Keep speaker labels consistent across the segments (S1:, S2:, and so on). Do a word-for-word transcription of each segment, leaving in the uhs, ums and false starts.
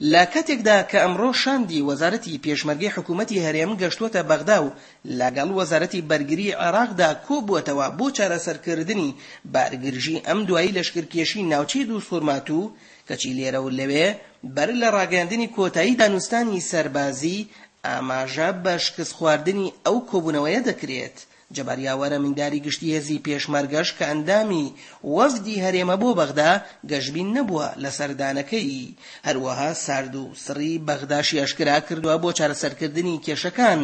S1: لە کاتێکدا کە ئەمڕۆ شاندی وەزارەتی پێشمەرگەی حکوومەتی هەرێم گەشتووەتە بەغدا و لەگەڵ وەزارەتی بەرگری عێراقدا کۆبووەتەوە بۆ چارەسەرکردنی بارگرژی ئەم دوایی لەشکرکێشی ناوچەی دووزخورماتوو، کەچی لێرە و لەوێ بەر لە ڕاگەیاندنی کۆتایی دانوستانی سەربازی ئاماژە بە شکستخواردنی ئەو کۆبوونەوەیە دەکرێت. جەبار یاوەر ئەمینداری گشتی هێزی پێشمەرگەش کە ئەندامی وەفدی هەرێمە بۆ بەغدا گەشبین نەبووە لە سەردانەکەی، هەروەها سارد و سڕی بەغداشی ئاشکرا کردووە بۆ چارەسەرکردنی کێشەکان.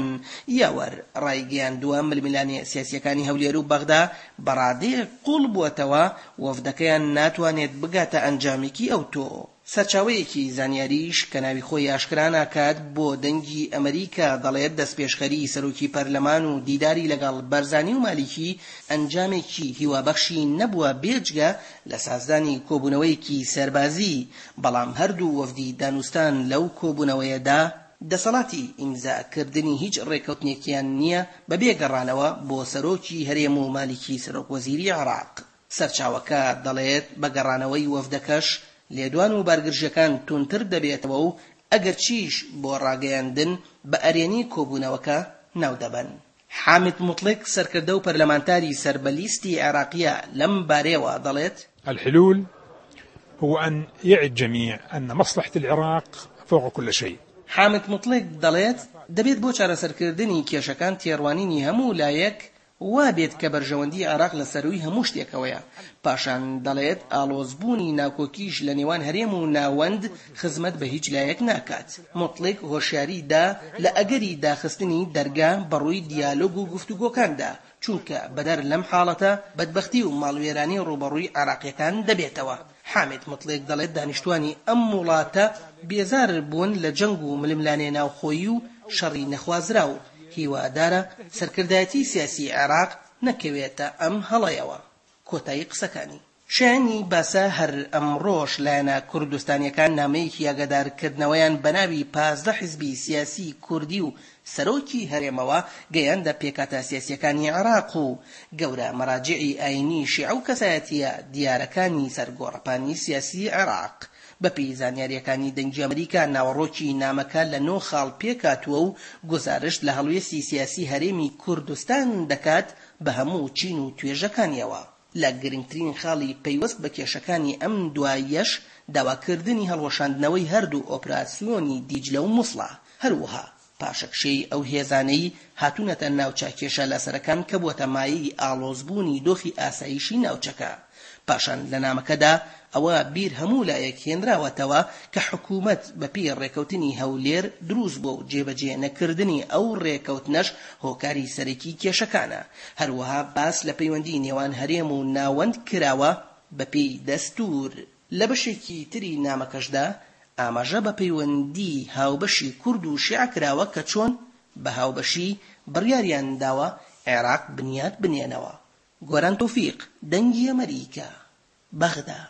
S1: یاوەر ڕایگەیاندووە ململانێ سیاسیەکانی هەولێر و بەغدا بەڕادەیەک قوڵ بووەتەوە وەفدەکەیان ناتوانێت بگاتە ئەنجامێکی ئەوتۆ. سەرچاوەیەکی زانیاریش کە ناوی خۆی ئاشکرا ناکات بۆ دەنگی ئەمریکا دەڵێت دەستپێشخەری سەرۆکی پەرلەمان و دیداری لەگەڵ بەرزانی و مالیکی ئەنجامێکی هیوابەخشی نەبووە بێجگە لە سازدانی کۆبوونەوەیەکی سەربازی، بەڵام هەردوو وەفدی دانوستان لەو کۆبوونەوەیەدا دەسەڵاتی ئیمزاکردنی هیچ ڕێکەوتنێکیان نییە بەبێ گەڕانەوە بۆ سەرۆکی هەرێم و مالیکی سەرۆک وەزیری عێراق. سەرچاوەکە دەڵێت بە گەڕانەوەی وەفدەکەش لێدوان و بارگرژیەکان توندتر دەبێتەوە و ئەگەرچیش بۆ ڕاگەیاندن بە ئەرێنی کۆبوونەوەکە ناودەبەن. حامد موتڵک سەرکردە و پەرلەمانتاری سەر بە لیستی عێراقیە لەم بارەیەوە دەڵێت:
S2: الحلول هو أن يعي الجميع أن مصلحة العراق فوق كل شيء.
S1: حامد موتڵک دەڵێت دەبێت بۆ چارەسەرکردنی کێشەکان تێڕوانینی هەموو لایەک وا بێت کە بەرژەوەندی عێراق لە سەرووی هەموو شتێکەوەیە. پاشان دەڵێت ئاڵۆزبوونی ناکۆکیش لە نێوان هەرێم و ناوەند خزمەت بە هیچ لایەک ناکات. موتڵک هۆشیاری دا لە ئەگەری داخستنی دەرگا بەڕووی دیالۆگ و گفتوگۆکاندا، چونکە بەدەر لەم حاڵەتە بەدبەختی و ماڵوێرانی ڕووبەڕووی عێراقیەکان دەبێتەوە. حامد موتڵک دەڵێت دانیشتوانی ئەم وڵاتە بێزار بوون لە جەنگ و ململانێ ناوخۆیی و شەڕی نەخوازراو، هیوادارە سەرکردایەتی سیاسی عێراق نەکەوێتە ئەم هەڵەیەوە. کۆتایی قسەکانی. شایانی باسە هەر ئەمڕۆش لایەنە کوردستانیەکان نامەیەکی ئاگادارکردنەوەیان بەناوی پازدە حزبی سیاسی کوردی و سەرۆکی هەرێمەوە گەیاندە پێکهاتە سیاسیەکانی عێراق و گەورە مەراجعی ئاینی شیعە و کەسایەتیە دیارەکانی سەر گۆڕەپانی سیاسی عێراق. بەپێی زانیاریەکانی دەنگی ئەمریکا ناوەڕۆکی نامەکە لە نۆ خاڵ پێکهاتووە و گوزارشت لە هەڵوێستی سیاسی هەرێمی کوردستان دەکات بە هەموو چین و توێژەکانیەوە. لە گرنگترین خاڵی پەیوەست بە کێشەکانی ئەم دوایەش داواکردنی هەڵوەشاندنەوەی هەردوو ئۆپراسیۆنی دیجلە و موسڵە، هەروەها پاشەکشەی ئەو هێزانەی هاتوونەتە ناوچە کێشە لەسەرەکان کە بووەتە مایەی ئاڵۆزبوونی دۆخی ئاسایشی ناوچەکە. پاشان لە نامەکەدا ئەوە بیر هەموو لایەک هێنراوەتەوە کە حکوومەت بەپێی ڕێکەوتنی هەولێر دروست بووە و جێبەجێ نەکردنی ئەو ڕێکەوتنەش هۆکاری سەرەکی کێشەکانە. هەروەها باس لە پەیوەندی نێوان هەرێم و ناوەند کراوە بەپێی دەستور. لە بەشێکی تری نامەکەشدا ئاماژە بە پەیوەندی هاوبەشی کورد و شیعە کراوە کە چۆن بە هاوبەشی بڕیاریان داوە عێراق بنیات بنێنەوە. گۆران تۆفیق، دەنگی ئەمریکا، بەغدا.